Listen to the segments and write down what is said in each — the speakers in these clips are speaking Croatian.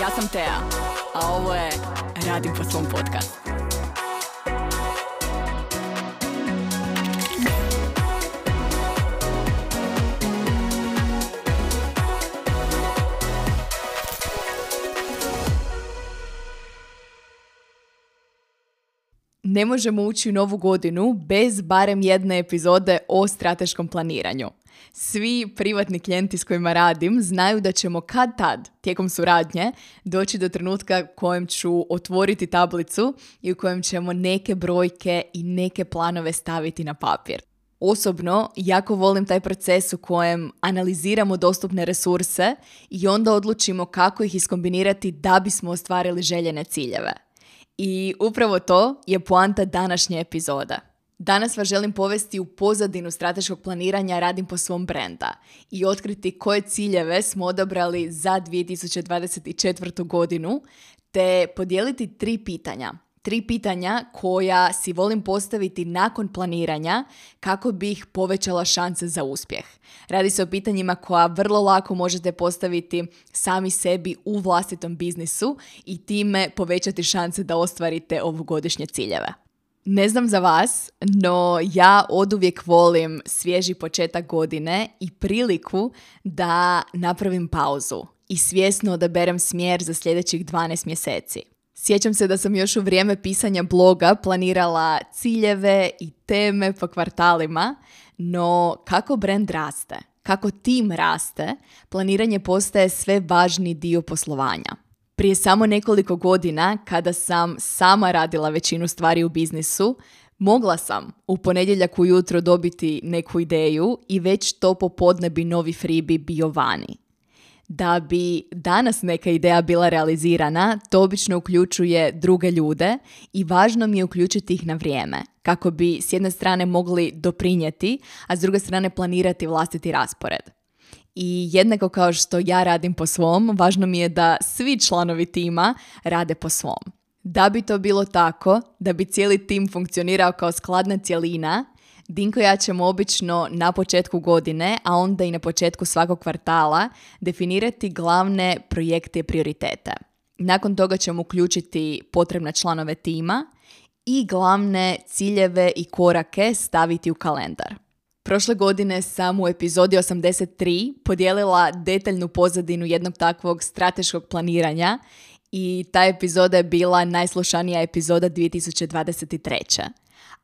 Ja sam Tea, a ovo je Radim po svom podcastu. Ne možemo ući u novu godinu bez barem jedne epizode o strateškom planiranju. Svi privatni klijenti s kojima radim znaju da ćemo kad tad, tijekom suradnje, doći do trenutka kojem ću otvoriti tablicu i u kojem ćemo neke brojke i neke planove staviti na papir. Osobno, jako volim taj proces u kojem analiziramo dostupne resurse i onda odlučimo kako ih iskombinirati da bismo ostvarili željene ciljeve. I upravo to je poanta današnje epizode. Danas vas želim povesti u pozadinu strateškog planiranja Radim po svom brenda i otkriti koje ciljeve smo odabrali za 2024. godinu, te podijeliti 3 pitanja. 3 pitanja koja si volim postaviti nakon planiranja kako bi ih povećala šanse za uspjeh. Radi se o pitanjima koja vrlo lako možete postaviti sami sebi u vlastitom biznisu i time povećati šanse da ostvarite ovogodišnje ciljeve. Ne znam za vas, no ja oduvijek volim svježi početak godine i priliku da napravim pauzu i svjesno odaberem smjer za sljedećih 12 mjeseci. Sjećam se da sam još u vrijeme pisanja bloga planirala ciljeve i teme po kvartalima, no kako brand raste, kako tim raste, planiranje postaje sve važniji dio poslovanja. Prije samo nekoliko godina, kada sam sama radila većinu stvari u biznisu, mogla sam u ponedjeljak ujutro dobiti neku ideju i već to popodne bi novi freebie bio vani. Da bi danas neka ideja bila realizirana, to obično uključuje druge ljude i važno mi je uključiti ih na vrijeme, kako bi s jedne strane mogli doprinijeti, a s druge strane planirati vlastiti raspored. I jednako kao što ja radim po svom, važno mi je da svi članovi tima rade po svom. Da bi to bilo tako, da bi cijeli tim funkcionirao kao skladna cjelina, Dinko i ja ćemo obično na početku godine, a onda i na početku svakog kvartala, definirati glavne projekte i prioritete. Nakon toga ćemo uključiti potrebne članove tima i glavne ciljeve i korake staviti u kalendar. Prošle godine sam u epizodi 83 podijelila detaljnu pozadinu jednog takvog strateškog planiranja i ta epizoda je bila najslušanija epizoda 2023.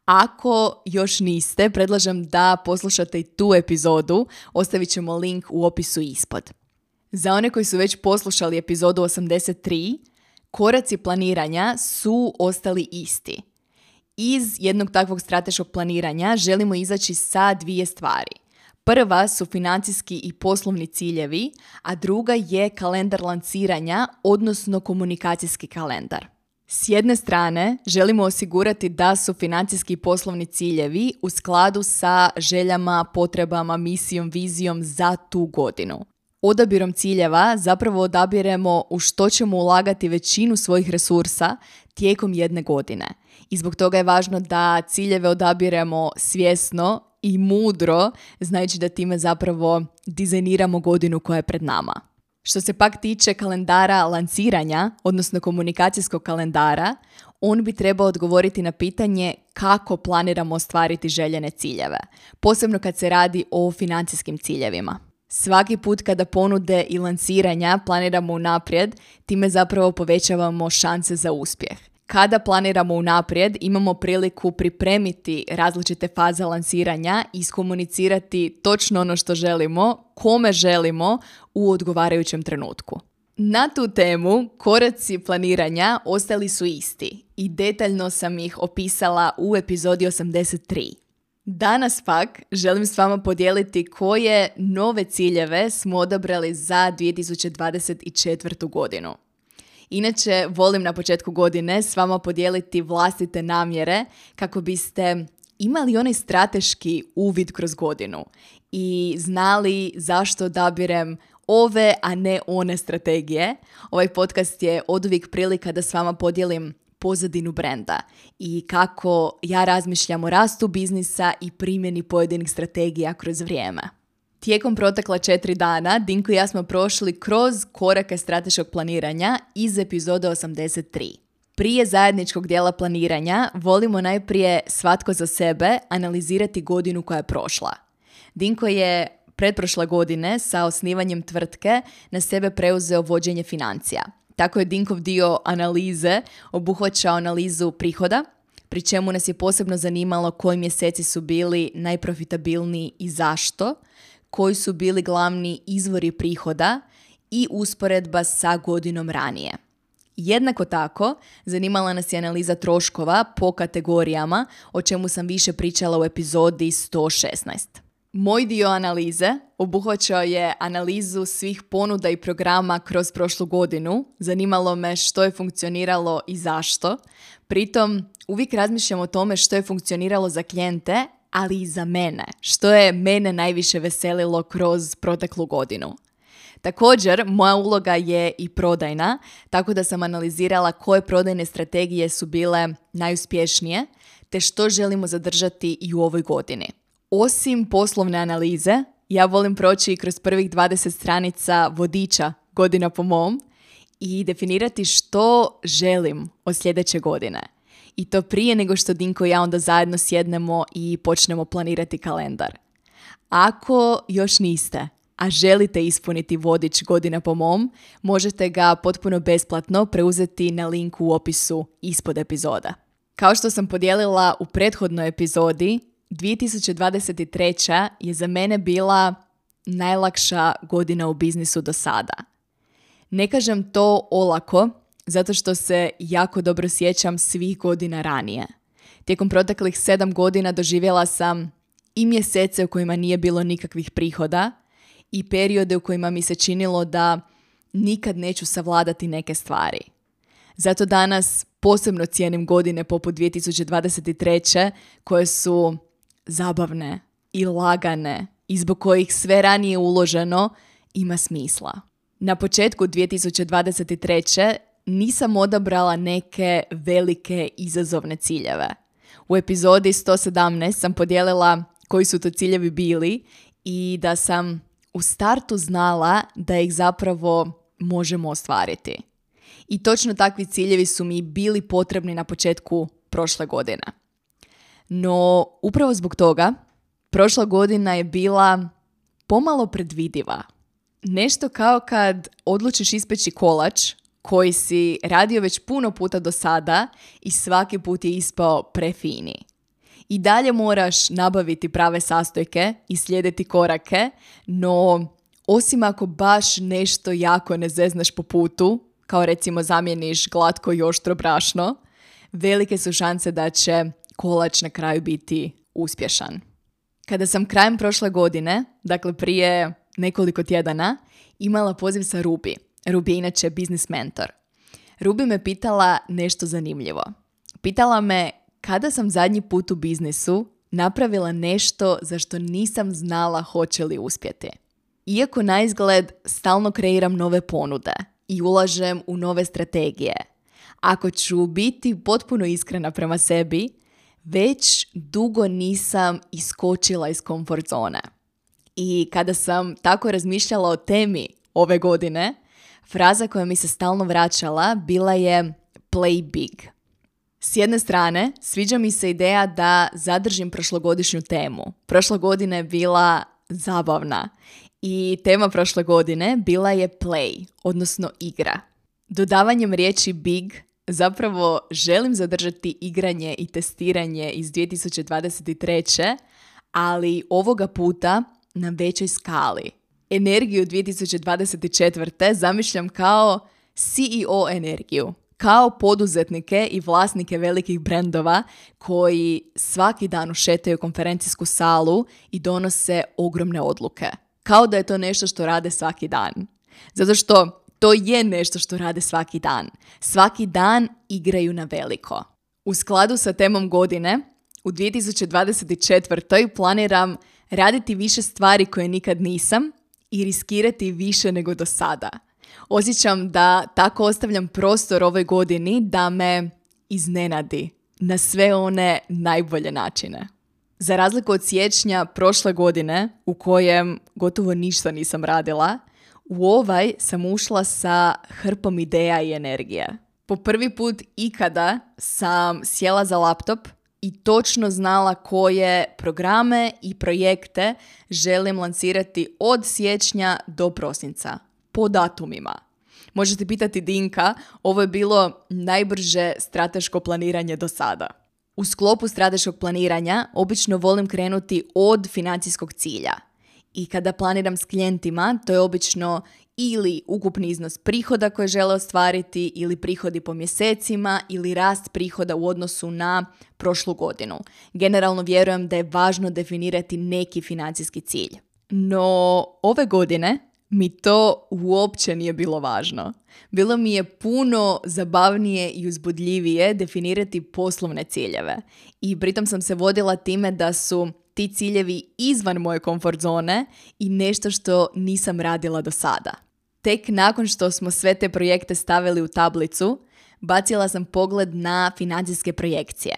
Ako još niste, predlažem da poslušate i tu epizodu, ostavit ćemo link u opisu ispod. Za one koji su već poslušali epizodu 83, koraci planiranja su ostali isti. Iz jednog takvog strateškog planiranja želimo izaći sa 2 stvari. Prva su financijski i poslovni ciljevi, a druga je kalendar lanciranja, odnosno komunikacijski kalendar. S jedne strane, želimo osigurati da su financijski i poslovni ciljevi u skladu sa željama, potrebama, misijom, vizijom za tu godinu. Odabirom ciljeva zapravo odabiremo u što ćemo ulagati većinu svojih resursa tijekom jedne godine. I zbog toga je važno da ciljeve odabiremo svjesno i mudro, znajući da time zapravo dizajniramo godinu koja je pred nama. Što se pak tiče kalendara lanciranja, odnosno komunikacijskog kalendara, on bi trebao odgovoriti na pitanje kako planiramo ostvariti željene ciljeve, posebno kad se radi o financijskim ciljevima. Svaki put kada ponude i lanciranja planiramo unaprijed, time zapravo povećavamo šanse za uspjeh. Kada planiramo unaprijed, imamo priliku pripremiti različite faze lansiranja i iskomunicirati točno ono što želimo, kome želimo u odgovarajućem trenutku. Na tu temu koraci planiranja ostali su isti i detaljno sam ih opisala u epizodi 83. Danas pak želim s vama podijeliti koje nove ciljeve smo odabrali za 2024. godinu. Inače, volim na početku godine s vama podijeliti vlastite namjere kako biste imali onaj strateški uvid kroz godinu i znali zašto odabirem ove, a ne one strategije. Ovaj podcast je oduvijek prilika da s vama podijelim pozadinu brenda i kako ja razmišljam o rastu biznisa i primjeni pojedinih strategija kroz vrijeme. Tijekom protekla 4 dana, Dinko i ja smo prošli kroz korake strateškog planiranja iz epizode 83. Prije zajedničkog dijela planiranja volimo najprije svatko za sebe analizirati godinu koja je prošla. Dinko je pretprošle godine sa osnivanjem tvrtke na sebe preuzeo vođenje financija. Tako je Dinkov dio analize obuhvaćao analizu prihoda, pri čemu nas je posebno zanimalo koji mjeseci su bili najprofitabilniji i zašto, koji su bili glavni izvori prihoda i usporedba sa godinom ranije. Jednako tako, zanimala nas je analiza troškova po kategorijama, o čemu sam više pričala u epizodi 116. Moj dio analize obuhvaćao je analizu svih ponuda i programa kroz prošlu godinu. Zanimalo me što je funkcioniralo i zašto. Pritom, uvijek razmišljam o tome što je funkcioniralo za klijente, ali i za mene. Što je mene najviše veselilo kroz proteklu godinu. Također, moja uloga je i prodajna, tako da sam analizirala koje prodajne strategije su bile najuspješnije, te što želimo zadržati i u ovoj godini. Osim poslovne analize, ja volim proći kroz prvih 20 stranica vodiča Godina po mom i definirati što želim od sljedeće godine. I to prije nego što Dinko i ja onda zajedno sjednemo i počnemo planirati kalendar. Ako još niste, a želite ispuniti vodič Godina po mom, možete ga potpuno besplatno preuzeti na linku u opisu ispod epizoda. Kao što sam podijelila u prethodnoj epizodi, 2023. je za mene bila najlakša godina u biznisu do sada. Ne kažem to olako, zato što se jako dobro sjećam svih godina ranije. Tijekom proteklih 7 godina doživjela sam i mjesece u kojima nije bilo nikakvih prihoda i periode u kojima mi se činilo da nikad neću savladati neke stvari. Zato danas posebno cijenim godine poput 2023. koje su zabavne i lagane i zbog kojih sve ranije uloženo ima smisla. Na početku 2023. nisam odabrala neke velike izazovne ciljeve. U epizodi 117 sam podijelila koji su to ciljevi bili i da sam u startu znala da ih zapravo možemo ostvariti. I točno takvi ciljevi su mi bili potrebni na početku prošle godine. No, upravo zbog toga, prošla godina je bila pomalo predvidiva. Nešto kao kad odlučiš ispeći kolač koji si radio već puno puta do sada i svaki put je ispao prefini. I dalje moraš nabaviti prave sastojke i slijediti korake, no osim ako baš nešto jako ne zeznaš po putu, kao recimo zamijeniš glatko i oštro brašno, velike su šanse da će kolač na kraju biti uspješan. Kada sam krajem prošle godine, dakle prije nekoliko tjedana, imala poziv sa Ruby. Ruby je inače biznis mentor. Ruby me pitala nešto zanimljivo. Pitala me kada sam zadnji put u biznisu napravila nešto za što nisam znala hoće li uspjeti. Iako na izgled stalno kreiram nove ponude i ulažem u nove strategije, ako ću biti potpuno iskrena prema sebi, već dugo nisam iskočila iz komfort zone. I kada sam tako razmišljala o temi ove godine, fraza koja mi se stalno vraćala bila je play big. S jedne strane, sviđa mi se ideja da zadržim prošlogodišnju temu. Prošla godina je bila zabavna i tema prošle godine bila je play, odnosno igra. Dodavanjem riječi big zapravo želim zadržati igranje i testiranje iz 2023. ali ovoga puta na većoj skali. Energiju 2024. zamišljam kao CEO energiju, kao poduzetnike i vlasnike velikih brendova koji svaki dan ušetaju konferencijsku salu i donose ogromne odluke. Kao da je to nešto što rade svaki dan. Zato što to je nešto što rade svaki dan. Svaki dan igraju na veliko. U skladu sa temom godine, u 2024. planiram raditi više stvari koje nikad nisam i riskirati više nego do sada. Osjećam da tako ostavljam prostor ovoj godini da me iznenadi na sve one najbolje načine. Za razliku od siječnja prošle godine, u kojem gotovo ništa nisam radila, u ovaj sam ušla sa hrpom ideja i energije. Po prvi put ikada sam sjela za laptop i točno znala koje programe i projekte želim lansirati od siječnja do prosinca, po datumima. Možete pitati Dinka, ovo je bilo najbrže strateško planiranje do sada. U sklopu strateškog planiranja obično volim krenuti od financijskog cilja. I kada planiram s klijentima, to je obično ili ukupni iznos prihoda koje žele ostvariti, ili prihodi po mjesecima, ili rast prihoda u odnosu na prošlu godinu. Generalno vjerujem da je važno definirati neki financijski cilj. No, ove godine mi to uopće nije bilo važno. Bilo mi je puno zabavnije i uzbudljivije definirati poslovne ciljeve. I pritom sam se vodila time da su ti ciljevi izvan moje komfort zone i nešto što nisam radila do sada. Tek nakon što smo sve te projekte stavili u tablicu, bacila sam pogled na financijske projekcije.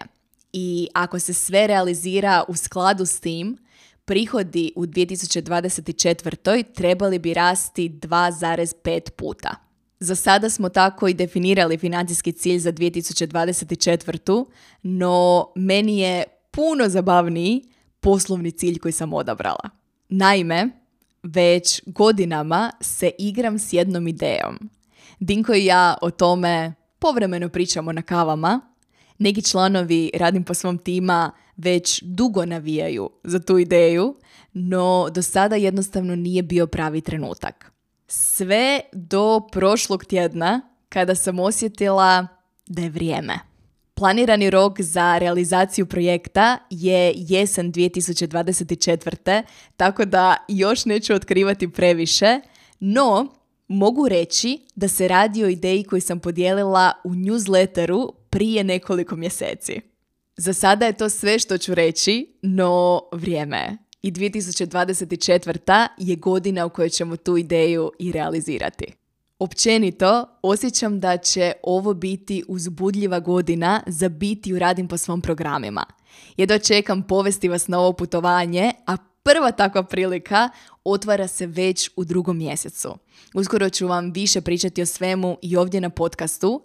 I ako se sve realizira u skladu s tim, prihodi u 2024. trebali bi rasti 2,5 puta. Za sada smo tako i definirali financijski cilj za 2024. No meni je puno zabavniji poslovni cilj koji sam odabrala. Naime, već godinama se igram s jednom idejom. Dinko i ja o tome povremeno pričamo na kavama. Neki članovi Radim po svom tima već dugo navijaju za tu ideju, no do sada jednostavno nije bio pravi trenutak. Sve do prošlog tjedna kada sam osjetila da je vrijeme. Planirani rok za realizaciju projekta je jesen 2024. Tako da još neću otkrivati previše, no mogu reći da se radi o ideji koju sam podijelila u newsletteru prije nekoliko mjeseci. Za sada je to sve što ću reći, no vrijeme je. I 2024. je godina u kojoj ćemo tu ideju i realizirati. Općenito, osjećam da će ovo biti uzbudljiva godina za biti u Radim po svom programima. Jedva čekam povesti vas na ovo putovanje, a prva takva prilika otvara se već u 2. mjesecu. Uskoro ću vam više pričati o svemu i ovdje na podcastu,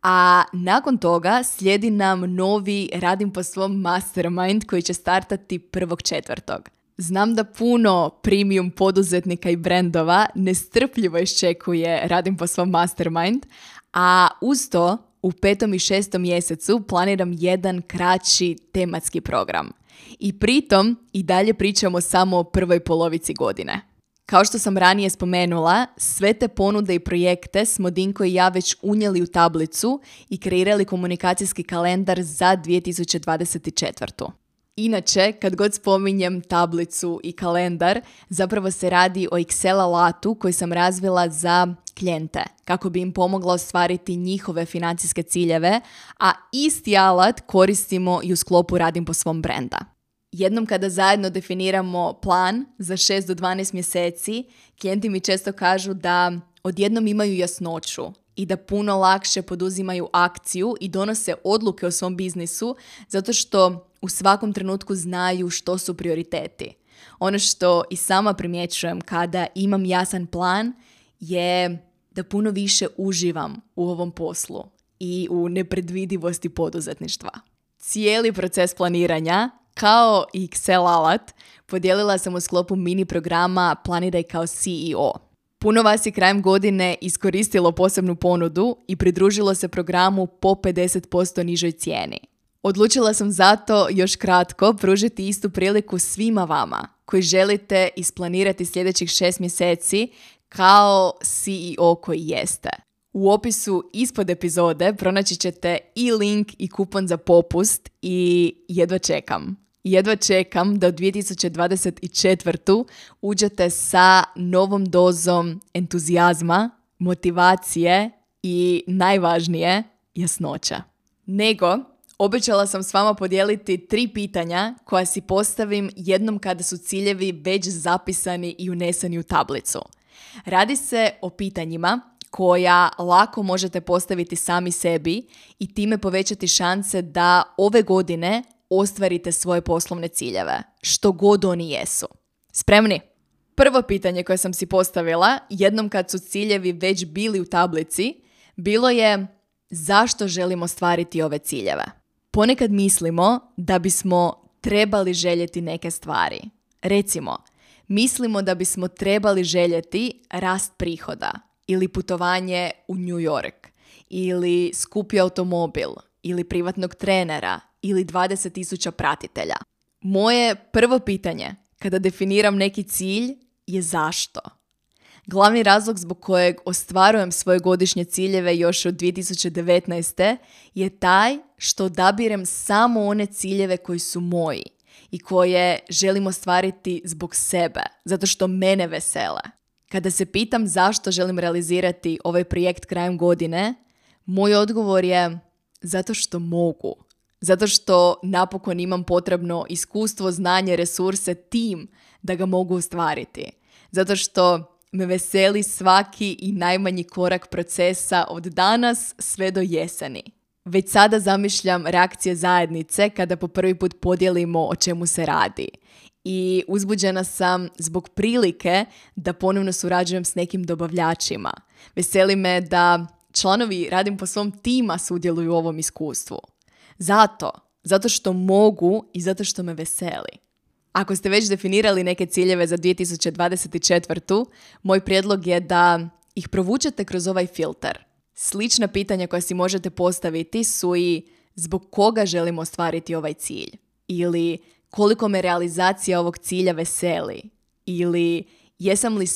a nakon toga slijedi nam novi Radim po svom mastermind koji će startati 1.4. Znam da puno premium poduzetnika i brendova nestrpljivo iščekuje Radim po svom mastermind, a uz to u 5. i 6. mjesecu planiram jedan kraći tematski program. I pritom i dalje pričamo samo o prvoj polovici godine. Kao što sam ranije spomenula, sve te ponude i projekte smo Dinko i ja već unijeli u tablicu i kreirali komunikacijski kalendar za 2024. Inače, kad god spominjem tablicu i kalendar, zapravo se radi o Excel alatu koji sam razvila za klijente, kako bi im pomogla ostvariti njihove financijske ciljeve, a isti alat koristimo i u sklopu Radim po svom brenda. Jednom kada zajedno definiramo plan za 6 do 12 mjeseci, klijenti mi često kažu da odjednom imaju jasnoću i da puno lakše poduzimaju akciju i donose odluke o svom biznisu zato što u svakom trenutku znaju što su prioriteti. Ono što i sama primjećujem kada imam jasan plan je da puno više uživam u ovom poslu i u nepredvidivosti poduzetništva. Cijeli proces planiranja, kao i Excel alat, podijelila sam u sklopu mini programa Planiraj kao CEO. Puno vas je krajem godine iskoristilo posebnu ponudu i pridružilo se programu po 50% nižoj cijeni. Odlučila sam zato još kratko pružiti istu priliku svima vama koji želite isplanirati sljedećih 6 mjeseci kao CEO koji jeste. U opisu ispod epizode pronaći ćete i link i kupon za popust i jedva čekam da u 2024. uđete sa novom dozom entuzijazma, motivacije i najvažnije, jasnoća. Obećala sam s vama podijeliti 3 pitanja koja si postavim jednom kada su ciljevi već zapisani i uneseni u tablicu. Radi se o pitanjima koja lako možete postaviti sami sebi i time povećati šanse da ove godine ostvarite svoje poslovne ciljeve, što god oni jesu. Spremni? Prvo pitanje koje sam si postavila, jednom kad su ciljevi već bili u tablici, bilo je zašto želimo ostvariti ove ciljeve. Ponekad mislimo da bismo trebali željeti neke stvari. Recimo, mislimo da bismo trebali željeti rast prihoda ili putovanje u New York ili skupi automobil ili privatnog trenera ili 20.000 pratitelja. Moje prvo pitanje kada definiram neki cilj je zašto. Glavni razlog zbog kojeg ostvarujem svoje godišnje ciljeve još od 2019. je taj što odabirem samo one ciljeve koji su moji i koje želim ostvariti zbog sebe, zato što mene vesele. Kada se pitam zašto želim realizirati ovaj projekt krajem godine, moj odgovor je zato što mogu. Zato što napokon imam potrebno iskustvo, znanje, resurse, tim da ga mogu ostvariti. Zato što me veseli svaki i najmanji korak procesa od danas sve do jeseni. Već sada zamišljam reakcije zajednice kada po prvi put podijelimo o čemu se radi. I uzbuđena sam zbog prilike da ponovno surađujem s nekim dobavljačima. Veseli me da članovi Radim po svom tima sudjeluju u ovom iskustvu. Zato što mogu i zato što me veseli. Ako ste već definirali neke ciljeve za 2024. moj prijedlog je da ih provučete kroz ovaj filter. Slična pitanja koja si možete postaviti su i zbog koga želimo ostvariti ovaj cilj? Ili koliko me realizacija ovog cilja veseli? Ili jesam li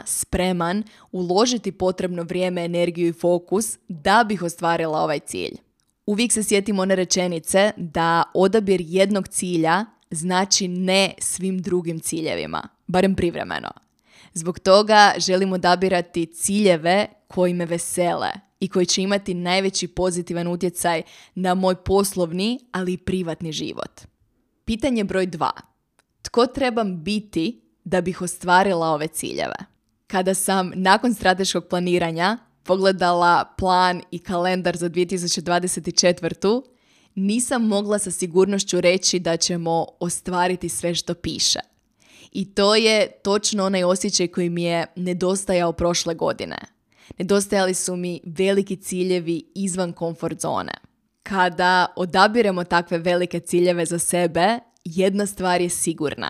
spreman uložiti potrebno vrijeme, energiju i fokus da bih ostvarila ovaj cilj? Uvijek se sjetimo one rečenice da odabir jednog cilja znači ne svim drugim ciljevima, barem privremeno. Zbog toga želim odabirati ciljeve koji me vesele i koji će imati najveći pozitivan utjecaj na moj poslovni, ali i privatni život. Pitanje broj 2. Tko trebam biti da bih ostvarila ove ciljeve? Kada sam nakon strateškog planiranja pogledala plan i kalendar za 2024. nisam mogla sa sigurnošću reći da ćemo ostvariti sve što piše. I to je točno onaj osjećaj koji mi je nedostajao prošle godine. Nedostajali su mi veliki ciljevi izvan komfort zone. Kada odabiremo takve velike ciljeve za sebe, jedna stvar je sigurna.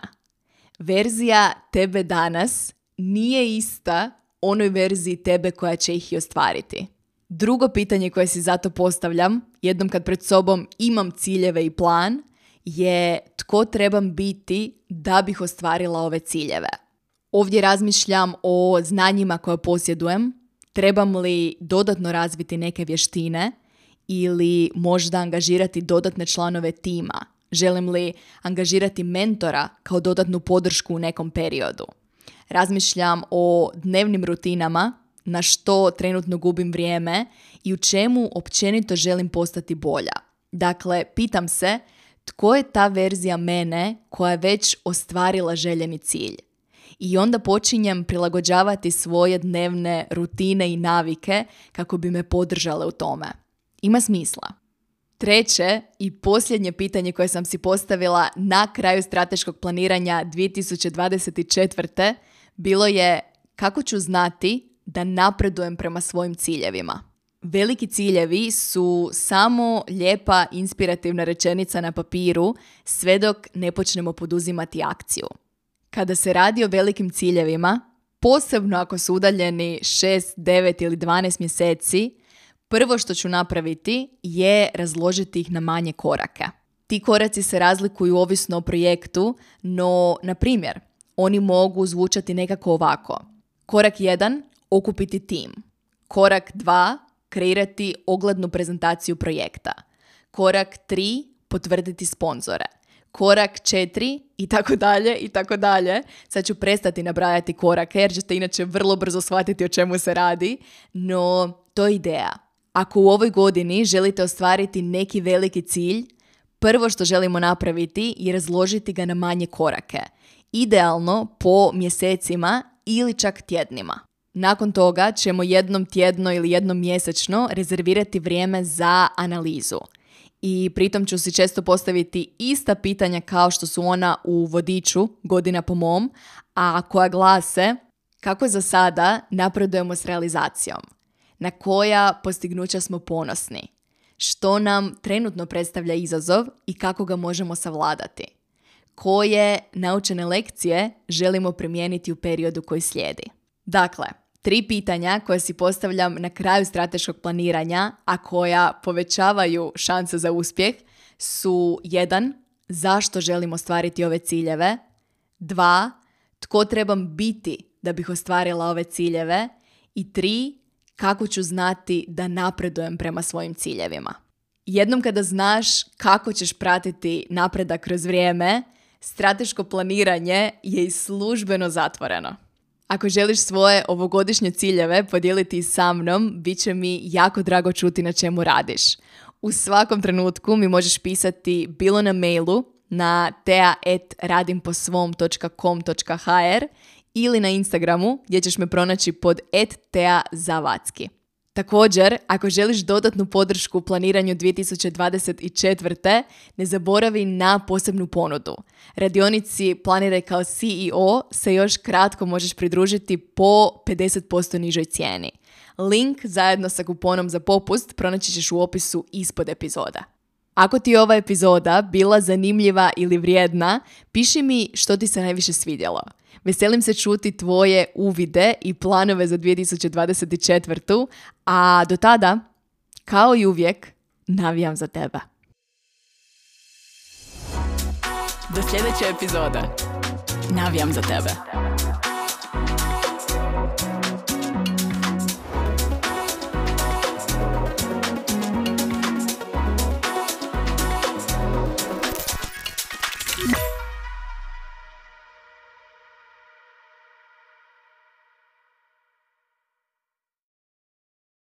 Verzija tebe danas nije ista onoj verziji tebe koja će ih i ostvariti. Drugo pitanje koje si zato postavljam, jednom kad pred sobom imam ciljeve i plan, je tko trebam biti da bih ostvarila ove ciljeve. Ovdje razmišljam o znanjima koje posjedujem, trebam li dodatno razviti neke vještine ili možda angažirati dodatne članove tima. Želim li angažirati mentora kao dodatnu podršku u nekom periodu. Razmišljam o dnevnim rutinama, na što trenutno gubim vrijeme i u čemu općenito želim postati bolja. Dakle, pitam se tko je ta verzija mene koja je već ostvarila željeni cilj. I onda počinjem prilagođavati svoje dnevne rutine i navike kako bi me podržale u tome. Ima smisla. Treće i posljednje pitanje koje sam si postavila na kraju strateškog planiranja 2024. bilo je kako ću znati da napredujem prema svojim ciljevima. Veliki ciljevi su samo lijepa inspirativna rečenica na papiru sve dok ne počnemo poduzimati akciju. Kada se radi o velikim ciljevima, posebno ako su udaljeni 6, 9 ili 12 mjeseci, prvo što ću napraviti je razložiti ih na manje korake. Ti koraci se razlikuju ovisno o projektu, no, na primjer, oni mogu zvučati nekako ovako. Korak 1. Okupiti tim. Korak 2. Kreirati oglednu prezentaciju projekta. Korak 3. Potvrditi sponzore. Korak 4. i tako dalje, i tako dalje. Sad ću prestati nabrajati korake jer ćete inače vrlo brzo shvatiti o čemu se radi, no to je ideja. Ako u ovoj godini želite ostvariti neki veliki cilj, prvo što želimo napraviti je razložiti ga na manje korake. Idealno po mjesecima ili čak tjednima. Nakon toga ćemo jednom tjedno ili jednom mjesečno rezervirati vrijeme za analizu. i pritom ću si često postaviti ista pitanja kao što su ona u vodiču Godina po mom, a koja glase kako za sada napredujemo s realizacijom, na koja postignuća smo ponosni, što nam trenutno predstavlja izazov i kako ga možemo savladati, koje naučene lekcije želimo primijeniti u periodu koji slijedi. Dakle, 3 pitanja koje si postavljam na kraju strateškog planiranja, a koja povećavaju šanse za uspjeh, su 1. Zašto želim ostvariti ove ciljeve? 2. Tko trebam biti da bih ostvarila ove ciljeve? I 3. Kako ću znati da napredujem prema svojim ciljevima? Jednom kada znaš kako ćeš pratiti napredak kroz vrijeme, strateško planiranje je i službeno zatvoreno. Ako želiš svoje ovogodišnje ciljeve podijeliti sa mnom, bit će mi jako drago čuti na čemu radiš. U svakom trenutku mi možeš pisati bilo na mailu na tea@radimposvom.com.hr ili na Instagramu gdje ćeš me pronaći pod @teazavacki. Također, ako želiš dodatnu podršku u planiranju 2024. ne zaboravi na posebnu ponudu. Radionici Planiraj kao CEO se još kratko možeš pridružiti po 50% nižoj cijeni. Link zajedno sa kuponom za popust pronaći ćeš u opisu ispod epizoda. Ako ti je ova epizoda bila zanimljiva ili vrijedna, piši mi što ti se najviše svidjelo. Veselim se čuti tvoje uvide i planove za 2024. A do tada, kao i uvijek, navijam za tebe. Do sljedeće epizode. Navijam za tebe.